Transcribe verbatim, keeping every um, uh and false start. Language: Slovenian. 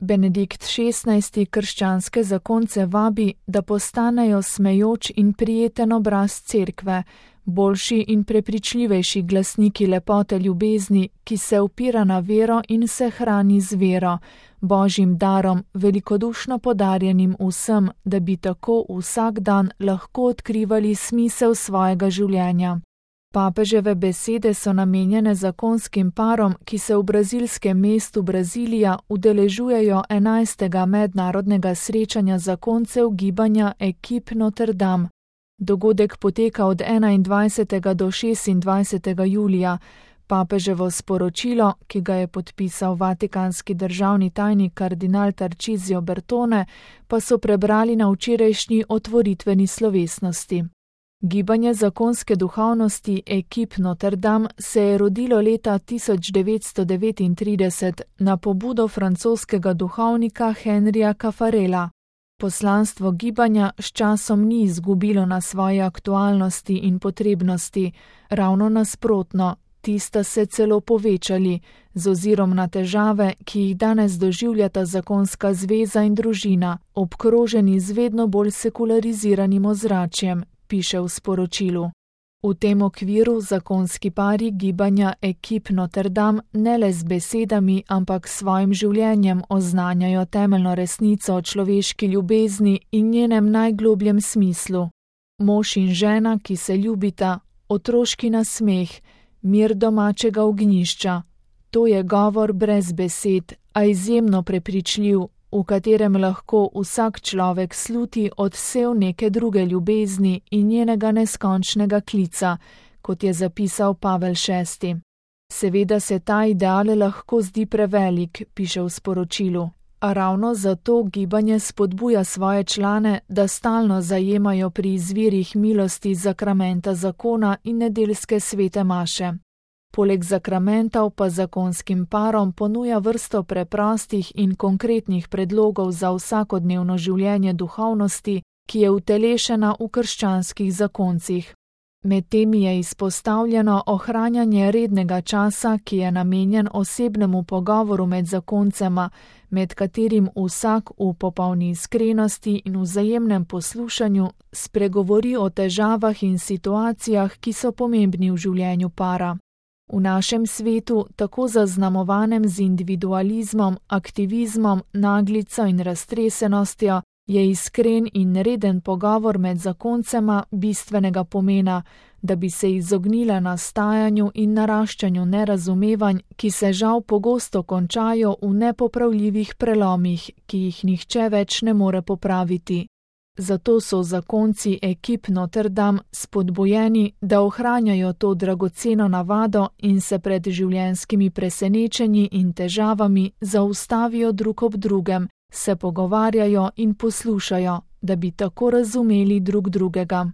Benedikt šestnajsti krščanske zakonce vabi, da postanejo smejoč in prijeten obraz cerkve, boljši in prepričljivejši glasniki lepote ljubezni, ki se upira na vero in se hrani z vero, Božjim darom, velikodušno podarjenim vsem, da bi tako vsak dan lahko odkrivali smisel svojega življenja. Papeževe besede so namenjene zakonskim parom, ki se v brazilskem mestu Brazilija udeležujejo enajstega mednarodnega srečanja zakoncev gibanja Equipe Notre Dame. Dogodek poteka od enaindvajsetega do šestindvajsetega julija. Papeževo sporočilo, ki ga je podpisal vatikanski državni tajnik kardinal Tarcisio Bertone, pa so prebrali na včerajšnji otvoritveni slovesnosti. Gibanje zakonske duhovnosti Equipe Notre Dame se je rodilo leta tisoč devetsto devetintrideset na pobudo francoskega duhovnika Henrija Caffarela. Poslanstvo gibanja s časom ni izgubilo na svoji aktualnosti in potrebnosti, ravno nasprotno, ti sta se celo povečali, z ozirom na težave, ki jih danes doživljata zakonska zveza in družina, obkroženi z vedno bolj sekulariziranim ozračjem, piše v sporočilu. V tem okviru zakonski pari gibanja Equipe Notre Dame ne le z besedami, ampak s svojim življenjem oznanjajo temeljno resnico o človeški ljubezni in njenem najglobljem smislu. Mož in žena, ki se ljubita, otroški nasmeh, mir domačega ognjišča. To je govor brez besed, a izjemno prepričljiv, v katerem lahko vsak človek sluti odsev neke druge ljubezni in njenega neskončnega klica, kot je zapisal Pavel šesti. Seveda se ta ideal lahko zdi prevelik, piše v sporočilu, a ravno zato gibanje spodbuja svoje člane, da stalno zajemajo pri izvirih milosti zakramenta zakona in nedeljske svete maše. Poleg zakramentov pa zakonskim parom ponuja vrsto preprostih in konkretnih predlogov za vsakodnevno življenje duhovnosti, ki je utelešena v krščanskih zakoncih. Med temi je izpostavljeno ohranjanje rednega časa, ki je namenjen osebnemu pogovoru med zakoncema, med katerim vsak v popolni iskrenosti in vzajemnem poslušanju spregovori o težavah in situacijah, ki so pomembni v življenju para. V našem svetu, tako zaznamovanem z individualizmom, aktivizmom, naglico in raztresenostjo, je iskren in reden pogovor med zakoncema bistvenega pomena, da bi se izognila nastajanju in naraščanju nerazumevanj, ki se žal pogosto končajo v nepopravljivih prelomih, ki jih nihče več ne more popraviti. Zato so zakonci Equipe Notre Dame spodbujeni, da ohranjajo to dragoceno navado in se pred življenjskimi presenečenji in težavami zaustavijo drug ob drugem, se pogovarjajo in poslušajo, da bi tako razumeli drug drugega.